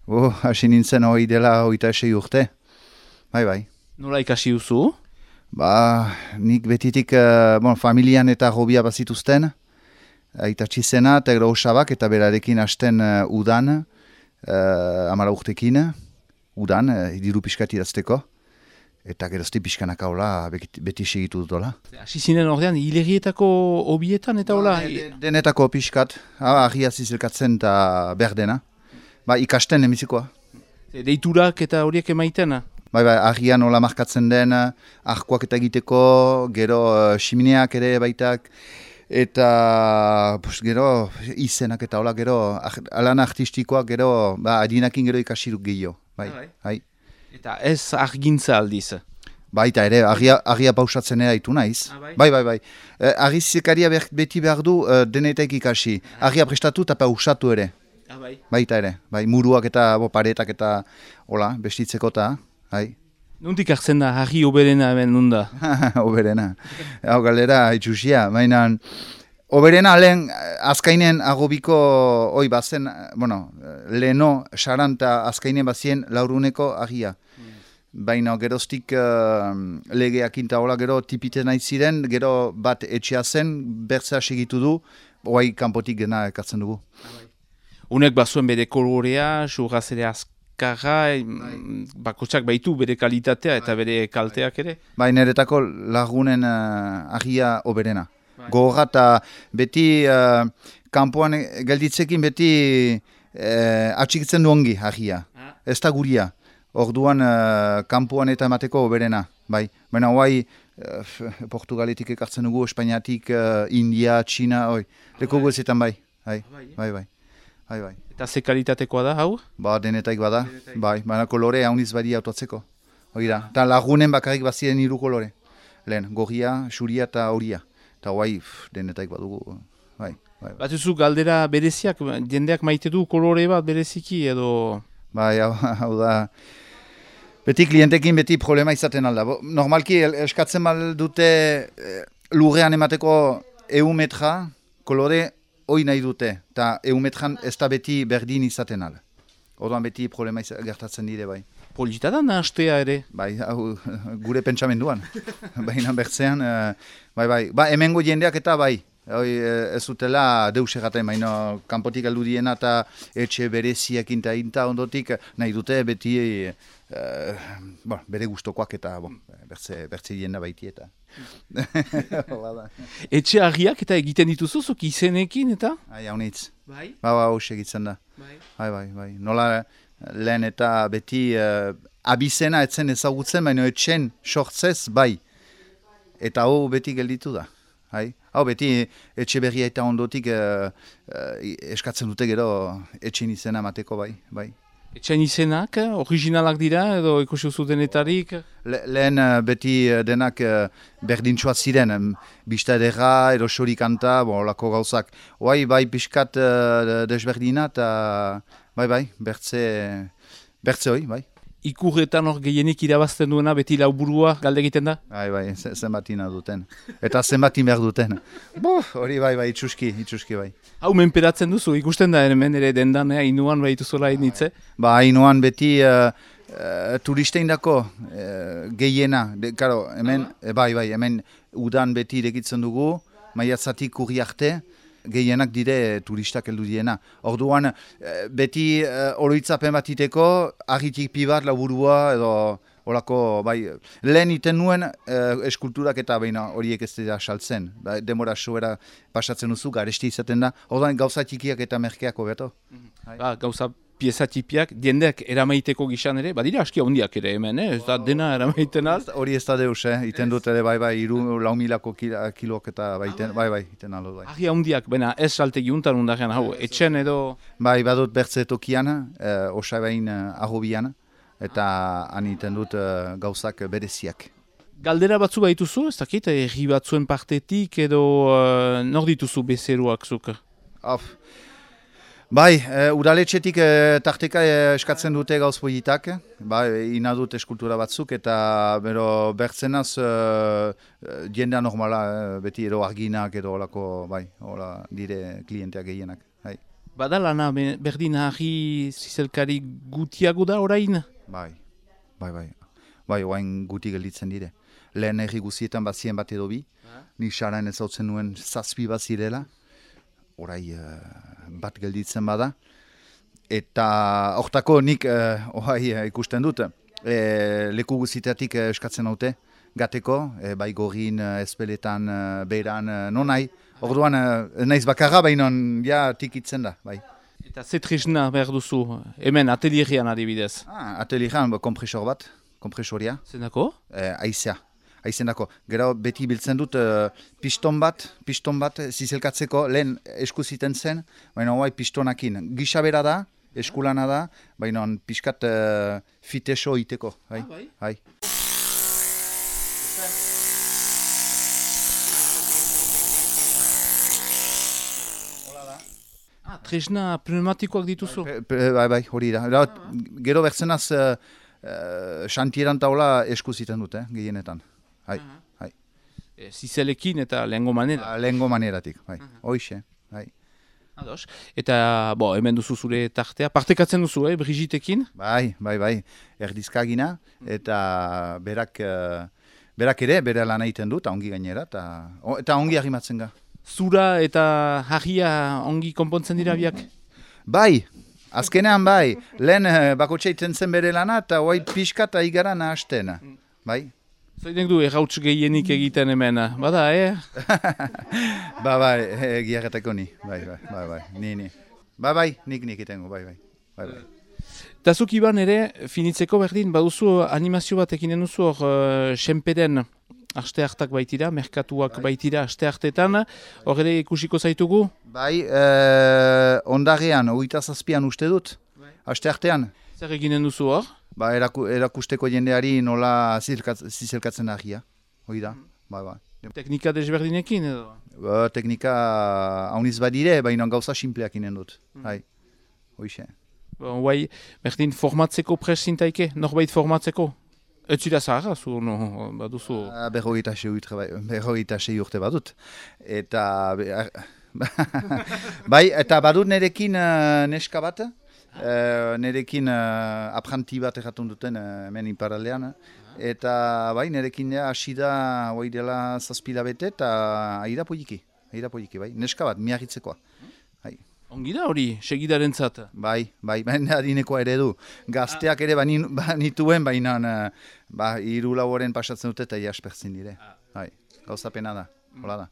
Hasi nintzen hori dela 26 urte. Bai. Nola ikasi duzu? Nik betitik familian eta hobia bazituzten. Aitatsi zena eta gero osabak eta berarekin hasten udan, 10 urtekin, udan, diru pixkat idazteko. Eta gerozti pixkanak haula beti segitu dutola. Hasi zinen ordean, hilegietako hobietan eta hola? Denetako pixkat, ahia zizelkatzen eta berdena. Ikasten emizikoa. Deiturak eta horiek emaitena? Ahian nola markatzen den, ahkoak eta egiteko, gero ximineak ere baitak, eta gero izenak eta hola gero, alan artistikoak gero, adinakin gero ikasiruk gehiago. Bai. Eta ez argintza aldiz? Baita ere, agia pausatzen ere ditu naiz. Bai. Agizikaria beti behar du denetek ikasi. Agia prestatu eta pausatu ere. Baita ere, muruak eta paretak eta hola, bestitzeko eta. Nuntik hartzen da, agi oberena hemen nunda? Oberena. Hau galera, itxusia. Oberena lehen azkainen agobiko hoi bazen, leheno, saranta azkainen bazien lauruneko agia. Baina geroztik legeak inta hola gero tipiten nahi ziren, gero bat etxea zen, bertzea segitu du, oai kanpotik gena ekartzen dugu. Unek bazuen bere kolorea, surraz ere azkarra, bakotsak baitu bere kalitatea eta bere kalteak ere? Niretako lagunen agia oberena. Gogorra eta beti kanpoan gelditzekin beti atxikitzen du ongi agia. Ez da guria. Orduan kanpoan eta emateko oberena. Baina hoai Portugaletik ekartzen dugu, Espainiatik, India, Txina, leko guezetan bai. Eta ze kalitatekoa da, hau? Denetaik bada. Baina kolore hauniz badi autoatzeko. Eta lagunen bakarrik bazien 3 kolore. Lehen, gorria, xuria eta horia. Eta hoai denetaik badugu. Batuzu galdera bereziak, jendeak maite du kolore bat bereziki edo... Hau da... Beti klientekin beti problema izaten alda. Normalki eskatzen dute lurrean emateko 100 metra kolore hoi nahi dute. Eta 100 metran ez da beti berdin izaten alda. Orduan beti problema gertatzen dire bai. Polita da nahastea ere? Gure pentsamenduan. Baina bertzean, hemengo jendeak eta bai. Ez dutela deus egaten, baina kanpotik aldu diena eta etxe bereziak inta ondotik nahi dute beti bere gustokoak eta bertze jenda baiti eta. Etxe agiak eta egiten dituzu, zuk izenekin eta? Haunitz. Hauxe egitzen da. Nola lehen eta beti abizena etzen ezagutzen, baina etxen sortzez bai. Eta hau beti gelditu da. Hau beti etxe berria eta ondotik eskatzen dute gero etxen izena mateko bai. Etxen izenak, originalak dira edo ikusi zutenetarik? Lehen beti denak berdintxoa ziren, bista edera, edo xorikanta, lako gauzak. Bai pixkat desberdina eta bertze hoi, bai. Ikurretan hor gehienik irabazten duena beti lauburua galde egiten da? Bai, zenbatina duten. Eta zenbatin behar duten. Hori bai, itxuski bai. Hau menperatzen duzu, ikusten da hemen ere dendan, Ainuan behitu zola initze? Ainuan beti turistein dako gehiena. Hemen udan beti irekitzen dugu, maiatzatik urri arte, gehienak dire turistak heldu diena. Orduan, beti oroitzapen batiteko, argitik pibat, laburua, edo horako, lehen iten nuen eskulturak eta horiek ez dira saltzen. Demora soera pasatzen duzu, garesti izaten da. Orduan, gauza txikiak eta merkeako beto. Gauza pieza txipiak, jendeak eramaiteko gizan ere, badira aski handiak ere hemen, ez da dena eramaiten az? Hori ez da deus, iten dut ere, 4.000 kilok eta iten alo. Agi handiak, ez saltegi untan undarean, hau, etxen edo... Badut bertze tokian, osabein ahobian, eta han iten dut gauzak bereziak. Galdera batzu baituzu, ez dakit, erri batzuen partetik edo nor dituzu bezeroak zuk? Udaletxetik tarteka eskatzen dute gauz politak, ina dut eskultura batzuk eta bertzenaz jendea normala, beti edo arginak edo olako, dire klienteak gehienak. Bada lana berdin harri zizelkari gutiago da orain? Bai, oain guti gelditzen dire. Lehen herri guzietan bazien bat edo bi, ni xaran ez hautzen nuen zazpi bat zirela, orai bat gelditzen bada. Eta hortako nik ikusten dut, leku guztietatik eskatzen haute, gateko, bai gorin, ezpeletan, beran, non nahi. Orduan, naiz bakarra, baina ja tikitzen da, bai. Eta ze tresna behar duzu, hemen atelierian adibidez? Atelierian, kompresor bat, kompresoria. Zendako? Aizea, aizendako. Gero beti biltzen dut piston bat zizelkatzeko, lehen eskuziten zen, baina hoai pistonakin. Gisa bera da, eskulana da, baina pixkat fiteso iteko. Bai. Tresna pneumatikoak dituzu? Bai, hori da. Gero bertzenaz xantieran taula eskuziten dute, gehienetan. Hai. Zizelekin eta lehengo manera? Lehengo maneratik, bai. Hoixe, bai. Ados. Eta, hemen duzu zure tartea. Partekatzen duzu, Brigitekin? Bai. Erdizkagina. Eta berak ere, bere lan egiten du, eta ongi gainera, eta ongi arrimatzen ga. Zura eta harria ongi konpontzen dira biak? Bai, azkenean bai. Lehen bakotxa iten zen bere lana, eta hoai pixka eta igara nahasten. Bai. Zoinek du errauts gehienik egiten hemen, bada, Bai, giarretako ni. Bai, ni. Bai, nik itengo, bai. Eta zuk Iban ere, finitzeko berdin, baduzu animazio bat ekinen duzu hor senpeden aste hartak baitira, merkatuak baitira aste hartetan, hor ere ikusiko zaitugu? Bai, ondarean, 27an uste dut, aste hartean. Zer eginen duzu hor? Ba, erakusteko jendeari nola zizelkatzen ahia, hori da, bai. Teknika desberdinekin edo? Teknika hauniz badire, baina gauza simpleak inen dut, hai, hoixe. Guai, berdin formatzeko presintaike, norbait formatzeko? Ez zira zaharra, baduzu? Berrogeita sei urte badut. Eta, bai, eta badut nerekin neska bat, nerekin apranti bat erratun duten hemen iparaldean. Eta bai, nerekin hasi da hoi dela 7 bete eta aida poliki, bai, neska bat, miarritzekoa. Ongi da hori, segidaren zat? Bai, baina adinekoa ere du. Gazteak ere banituen, baina 3-4 pasatzen dute eta jaspertzen dire. Gauzapena da, hola da.